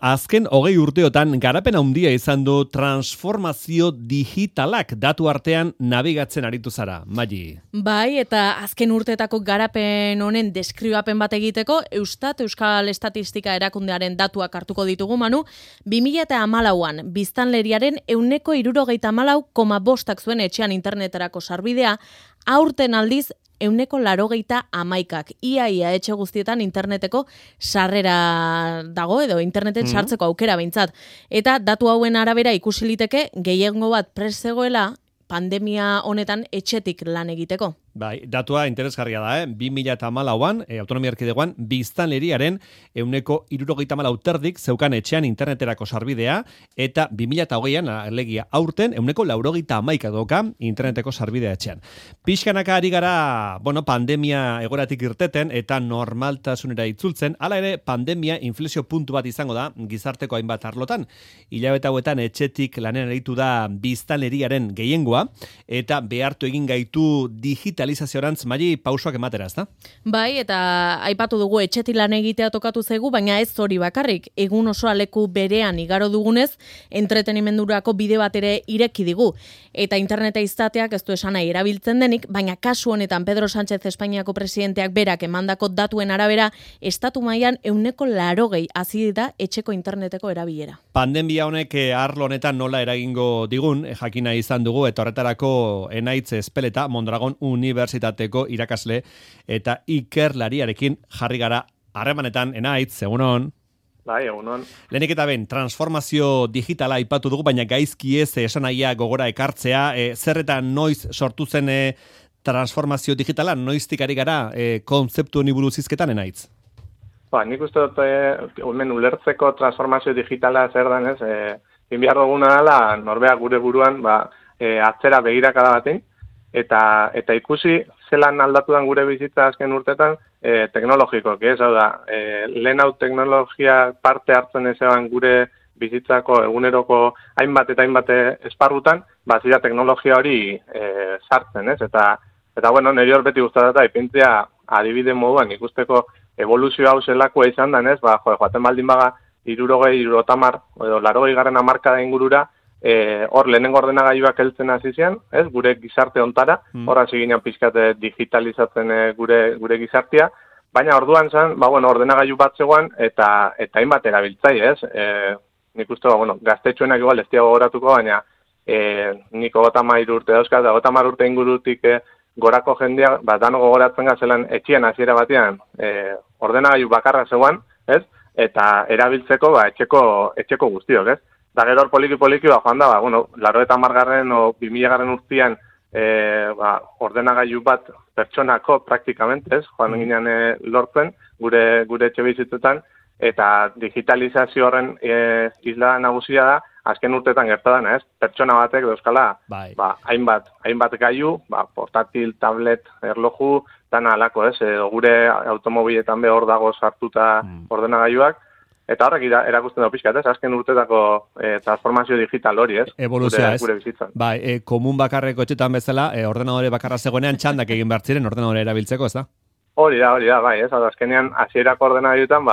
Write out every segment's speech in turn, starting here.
Azken 20 urteotan garapen handia izan du transformazio digitalak datu artean nabigatzen aritu zara, Magi. Bai, eta azken urteetako garapen honen deskribapen bat egiteko, Euskal Estatistika Erakundearen datuak hartuko ditugu, Manu, 2014an biztanleriaren 74,5 zuen etxean interneterako sarbidea, aurten aldiz 181ak. Ia etxe guztietan interneteko sarrera dago edo interneten sartzeko aukera behintzat. Eta datu hauen arabera ikusi liteke gehiengo bat prest zegoela pandemia honetan etxetik lan egiteko. Bai, datua interesgarria da, 2014an, autonomia erkidegoan, biztanleriaren 74,4 zeukan etxean interneterako sarbidea, eta 2020an, alegia aurten, 181 doka interneteko sarbidea etxean. Pixkanaka ari gara, pandemia egoratik irteten, eta normaltasunera itzultzen, hala ere, pandemia inflexio puntu bat izango da, gizarteko hainbat arlotan. Hilabete hauetan etxetik lanen aritu da biztanleriaren gehiengoa, eta behartu egin gaitu digitalizazioarantz Magi pausoak ematera, ezta? Bai, eta aipatu dugu etxetik lan egitea tokatu zaigu, baina ez hori bakarrik. Egun osoa leku berean igaro dugunez, entretenimendurako bide bat ere ireki digu. Eta interneta izateak ez du esan nahi erabiltzen denik, baina kasu honetan Pedro Sánchez Espainiako presidenteak berak emandako datuen arabera, estatu mailan 80 hazi da etxeko interneteko erabilera. Pandemia honek arlo honetan nola eragingo digun, jakina izan dugu, eta horretarako Enaitz Ezpeleta, Mondragon Unibertsitateko irakasle eta ikerlariarekin jarri gara harremanetan. Enaitz, egunon. Bai, egunon. Lehenik eta ben, transformazio digitala aipatu dugu, baina gaizki ez esanahia gogora ekartzea, zer eta noiz sortu zen transformazio digitala, noiztik ari gara kontzeptu honi buruz hizketan, Enaitz? Nik uste dut, hemen ulertzeko transformazio digitala zer denez, behar duguna dela, norbea gure buruan, atzera begirakada batein, eta ikusi zelan aldatu den gure bizitza azken urtetan teknologikoak, ez hau da, lehen hau teknologia parte hartzen ezean gure bizitzako eguneroko hainbat eta hainbat esparrutan, zira teknologia hori sartzen, ez? Eta nire hor beti guztatzen ipintzea adibide moduan ikusteko evoluzio hau zelakoa izan den, ez? Joaten baldin baga 60, edo 80 hamarkada ingurura, hor lehenengo ordenagailuak heltzen hasi zian, ez? Gure gizarte hontara, hor hasi ginen pixkat digitalizatzen gure gizartea, baina orduan zen, ordenagailu bat zegoen eta hainbat erabiltzaile, ez? Nik uste, gaztetxoenak igual ez diago goratuko, baina nik 30 urte dauzkat, 30 urte ingurutik gorako jendea, dano gogoratzen gazelan etxean hasiera batean ordenagailu bakarra zegoen, ez? Eta erabiltzeko etxeko guztiok, ez? Da gero hor poliki joan da, 80garren o 2000garren urtean ordenagailu bat pertsonako praktikamente, ez? Joan ginen lortzen gure etxe bizitzetan, eta digitalizazio horren isla nagusia da, azken urteetan gertadan, ez? Pertsona batek dauzkala, hainbat gailu, portatil, tablet, erloju, dana alako, ez? Gure automobiletan hor dago sartuta ordenagailuak, eta horrek erakusten da pixkat, ez? Azken urtetako transformazio digital hori, ez? Evoluzioa, ez? Gure bizitzan. Komun bakarreko etxetan bezala, ordenadore bakarra zegoenean txandak egin behar ziren ordenadore erabiltzeko, ez da? Hori da, bai, ez? Azkenean, hasierako ordenagailuetan,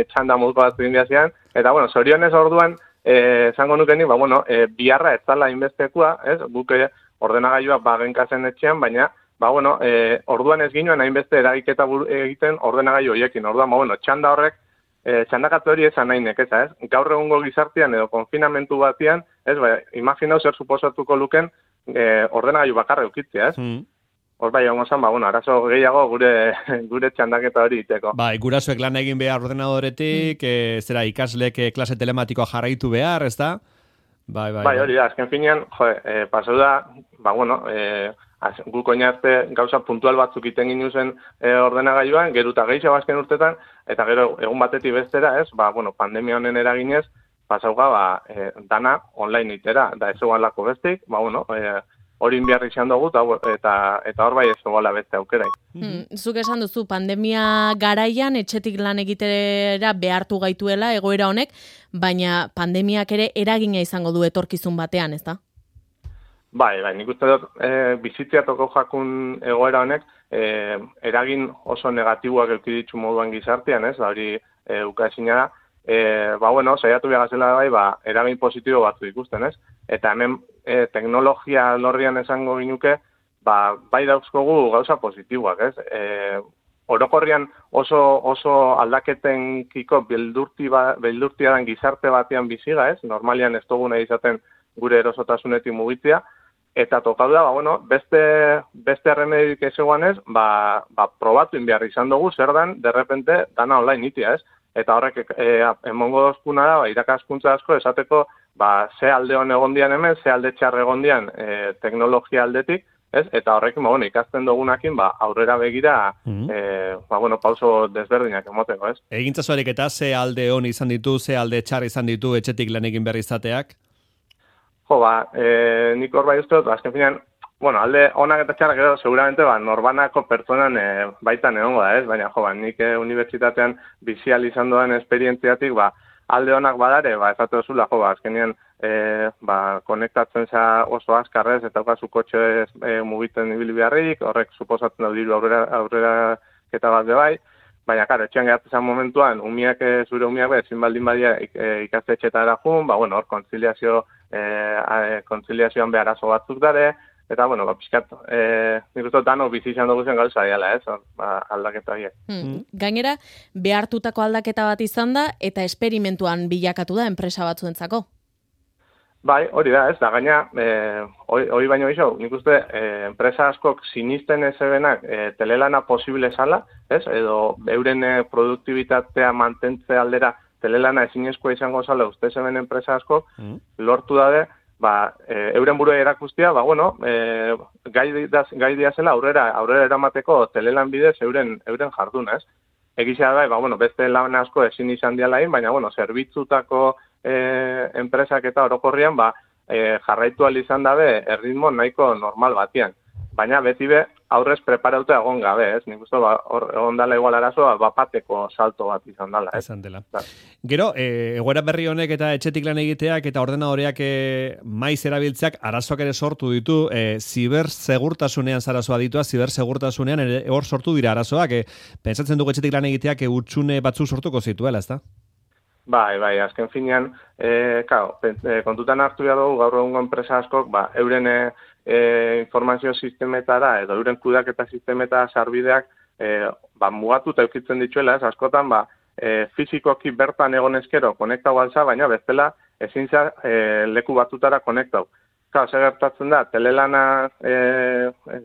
txanda moduko bat egin zian, eta, zorionez orduan, esango nukenik, biharra ez zala inbestekua, ez? Guk ordenagailua genkazen etxean, baina, orduan ez ginoen hainbeste eragiketa egiten ordenagailu horiekin. Orduan, txanda horrek, txandakatze hori esan nahi nekeza, ez? Gaur egungo gizartean edo konfinamentu batean, ez? Imaginau zer suposatuko luken ordenagailu bakarra eukitzea, ez? Hor egongo zen, arazo gehiago gure txandaketa hori iteko. Gurasoek lan egin behar ordenadoretik, zera ikaslek klase telematikoa jarraitu behar, ez da? Bai, hori da, azken finean, pasau da, guk oinarte gauza puntual batzuk iten ginu zen ordenagailuan, geruta gehiago azken urtetan, eta gero egun batetik bestera, ez, pandemia honen eraginez, pasauga, dana online itera, da ez eguan lako bestik, hori inbiarri izan dugu, eta hor bai ez egoala beste aukerai. Zuk esan duzu, pandemia garaian etxetik lan egitera behartu gaituela egoera honek, baina pandemiak ere eragina izango du etorkizun batean, ez da? Bai, nik uste dut bizitzea toko jakun egoera honek eragin oso negatiboak eduki ditu moduan gizartean, ez? Hori ukaezina da, saiatu behagazela eragin positibo batzu ikusten, ez? Eta hemen teknologia lorrian esango ginuke, bai dauzkogu gauza positiboak, ez? Orokorrian oso aldaketenkiko beldurtia den gizarte batean biziga, ez? Normalian ez dugu nahi izaten gure erosotasunetik mugitzea, eta tokatu da, beste erremedioik ez eguanez, probatu inbiar izan dugu, zer dan, derrepente, dana online itia, ez? Eta horrek emongo dozkuna da, irakaskuntza asko, esateko, ze alde hon egondian hemen, ze alde txarre egondian teknologia aldetik, ez? Eta horrekin, ikasten dugunakin, aurrera begira, pauso desberdinak emoteko, ez? Egintzazuarek eta ze alde hon izan ditu, ze alde txar izan ditu etxetik lan egin behar izateak? Nik hor bai uste dut, azken finean, alde onak eta txarrak edo, seguramente, norbanako pertsonan baitan egongo da, ez? Baina, nik unibertsitatean bizial izan doan esperientziatik, alde onak badare, ezate dozula, azkenean, konektatzen za oso azkarrez, eta okazu kotxe mugitzen ibili beharrik, horrek suposatzen da diru aurrera keta bat de bai, baina, karo, etxean gehatzen momentuan, zure umiak ezin baldin badia ikastetxetara jun, hor kontziliazioan behar arazo batzuk dare, eta, pixkat, nik uste dano bizi izan dugu zen gauza diala, ez, aldaketa horiek. Gainera, behartutako aldaketa bat izan da, eta esperimentuan bilakatu da enpresa batzuentzako. Bai, hori da, ez, da gaina, hori baino iso, nik uste, enpresa askok sinisten ez ebenak telelana posible zala, ez, edo euren produktibitatea mantentze aldera telelana ezinezkoa izango zala uste zeben enpresa askok, lortu dade, euren burua erakustia, gai diazela aurrera eramateko telelan bidez euren jardun, ez? Egizia da, beste lan asko ezin izan dialain, baina, zerbitzutako enpresak eta orokorrian, jarraitu izan dabe erritmo nahiko normal batian. Baina beti aurrez preparauta egon gabe, ez? Nik uste, egon dala igual arazoa, bapateko salto bat izan dala, ez? Izan dela. Gero, egoera berri honek eta etxetik lan egiteak eta ordenadoreak maiz erabiltzeak arazoak ere sortu ditu, zibersegurtasunean zarazoa ditua, zibersegurtasunean hor sortu dira arazoak, pentsatzen dugu etxetik lan egiteak utxune batzu sortuko zituela, ez da? Bai, azken finean, kontutan hartu behar dugu gaur egungo enpresa askok, euren informazio sistemetara edo euren kudaketa sistemetara sarbideak mugatuta eukitzen dituela, ez askotan, fizikoki bertan egon ezkero konektau alza, baina bestela ezin leku batutara konektau. Zer gertatzen da, telelana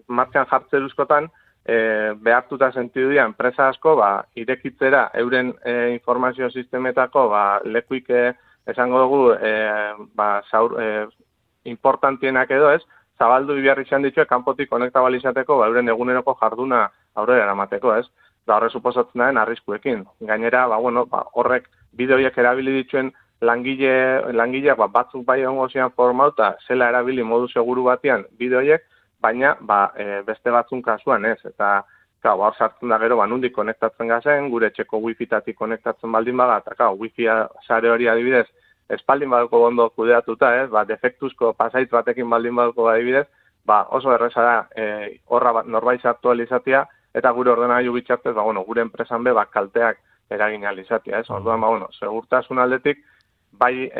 martxan jartze duzkotan, behartuta sentidu dira enpresa asko, irekitzera euren informazio sistemetako lekuik esango dugu importantienak edo ez, zabaldu biharri izan ditue kanpotik konektabalizateko euren eguneroko jarduna aurrera eramateko, ez? Da horre suposatzen den arriskuekin. Gainera, horrek bideoiek erabili dituen langileak batzuk bai ongo zian formauta zela erabili modu seguru batean bideoiek, baina beste batzun kasuan ez, eta hor sartzen da gero nondik konektatzen gazen, gure etxeko wifi-tatik konektatzen baldin baga, eta wifi sare hori adibidez, espaldin badako ondo kudeatuta, ez, defektuzko pasait batekin baldin badako adibidez, oso erreza da horra norbait sartu alizatia, eta gure ordenagailu bitxartez, gure enpresan kalteak eragin alizatia, ez, orduan, segurtasun aldetik, bai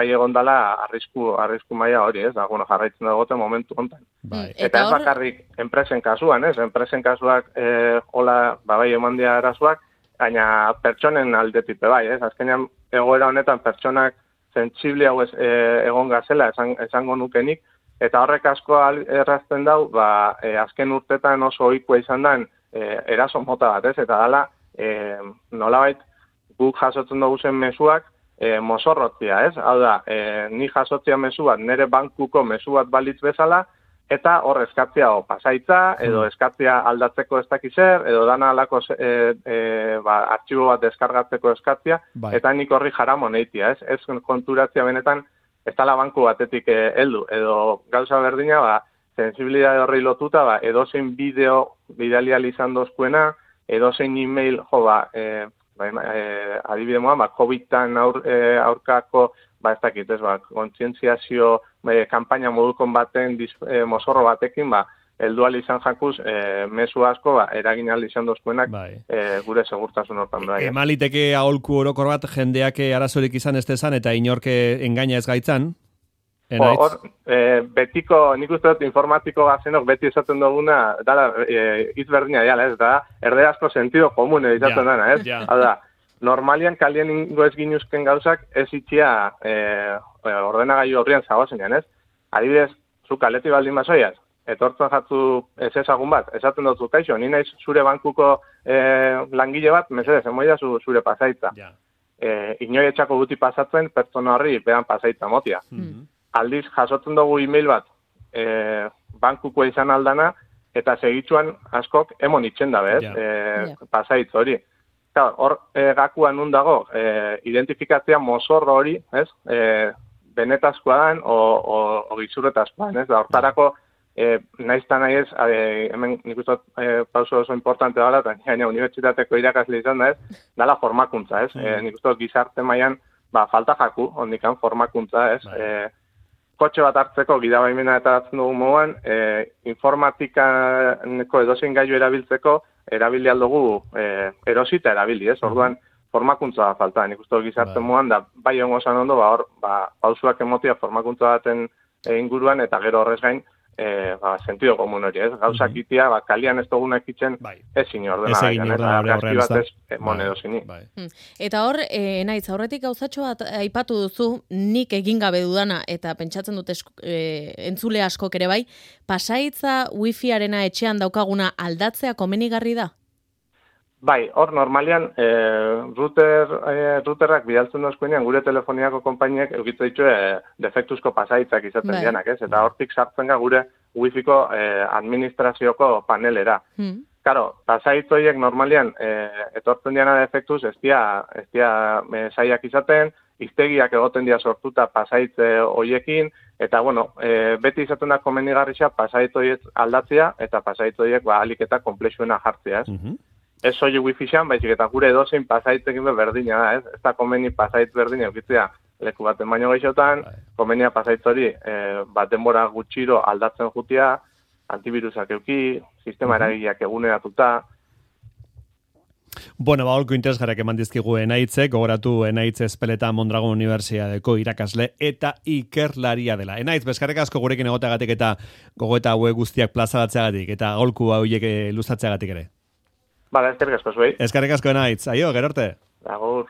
egondala arrisku maila hori, ez, jarraitzen dagote momentu hontan. Eta ez bakarrik enpresen kasuan, ez, enpresen kasuak hola, bai eman dira arazoak, baina pertsonen aldetipe bai, ez, azkenean egoera honetan pertsonak sentsible hau egon gazela esango nukenik, eta horrek asko errazten dau, azken urtetan oso ohikoa izan den eraso mota bat, ez, eta dala nolabait guk jasotzen dugu zen mezuak, mozorrotzia, ez? Hau da, ni jasotzia mezu bat, nire bankuko mezu bat balitz bezala, eta hor eskatzia pasaitza, edo eskatzia aldatzeko ez dakizer, edo dana alako artxibo bat deskargatzeko eskatzia, eta nik horri jaramon eitia, ez? Ez konturatzia benetan, ez tala banku batetik heldu, edo gauza berdina, sensibilidade horri lotuta, edozein bideo bidalial izan dozkuena, edozein e-mail, adibide moan, COVID-tan aurkako, ez dakit, ez, kontzientziazio kampaina modukon baten mozorro batekin, heldual izan jakuz, mezu asko, eragin aldi izan dozkuenak, gure segurtasun hortan da. Emaliteke aholku orokor bat jendeak arazorik izan ez dezan, eta inorke engaina ez gaitzan? Betiko, nik uste dut informatiko gazenok beti esaten duguna, dala, izberdina jala, ez da, erderazko sentido komune izaten dana, ez? Hau da, normalian kalien ingo ez ginuzken gauzak ez itxia ordenagailu horrian zagozenean, ez? Adibidez, zu kaleti baldin basoiaz, etortzen jatzu ez ezagun bat, esaten dut kaixo, ni naiz zure bankuko langile bat, mesedez, emoida zure pasaitza. Inoi etxako guti pasatzen, pertsona horri behan pasaitza motia. Aldiz, jasotzen dugu e-mail bat, bankuko izan aldana, eta segitzuan askok emon itxen dabe, pasaitza hori. Hor, gakuan nun dago, identifikatzea mozorro hori, ez? Benetazkoa dan, o gizurretazkoa, ez? Da, hortarako, naizta nahi ez, hemen nik uste pauso oso importante dala, eta gaina unibertsitateko irakasle izan da, ez? Dala formakuntza, ez? Nik uste gizarte mailan, falta jaku, ondikan formakuntza, ez? Kotxe bat hartzeko gidabaimena eta hartzen dugu moduan, informatikaneko edozein gailu erabiltzeko, erabili aldugu erosita erabili, ez? Orduan, formakuntza falta. Nik uste gizarte moduan, da bai hongo esan ondo, pausuak emotia formakuntza baten inguruan, eta gero horrez gain, sentido komun hori, ez? Gauzak itia, kalian ez dugunak itzen, ez zine ordena Eta hor, naiz, aurretik gauzatxo bat aipatu duzu, nik egin gabe dudana, eta pentsatzen dut entzule askok ere bai, pasaitza wifiarena etxean daukaguna aldatzea komenigarri da? Bai, hor normalian routerrak bidaltzen dozkuenean gure telefoniako konpainiek eukitze ditu defektuzko pasaitzak izaten dianak, ez? Eta hortik sartzen ga gure wifiko administrazioko panelera. Karo, pasaitzoiek normalian etortzen diana defektuz ez dia zaiak izaten, iztegiak egoten dia sortuta pasaitze hoiekin, eta bueno, beti izaten da komenigarria pasaitzoiek aldatzea, eta pasaitzoiek alik eta komplexuena jartzea, ez? Ez soilik wifi-xan, baizik eta gure edozein pasaitzekin berdina da, ez? Ez da komeni pasaitz berdina eukitzea leku baten baino gehiotan, komenia pasaitz hori denbora gutxiro aldatzen jutia, antivirusak euki, sistema eragileak eguneratuta. Bueno, holko interesgarriak eman dizkigu Enaitzek, gogoratu Enaitz Ezpeleta Mondragon Unibertsitateko irakasle eta ikerlaria dela. Enaitz, bezkarrek asko gurekin egoteagatik eta gogoeta hauek guztiak plazaratzeagatik eta holku hauek luzatzeagatik ere. Bala, eskerrik asko zuei. Eskerrik asko Enaitz, aio, gero arte. Agur.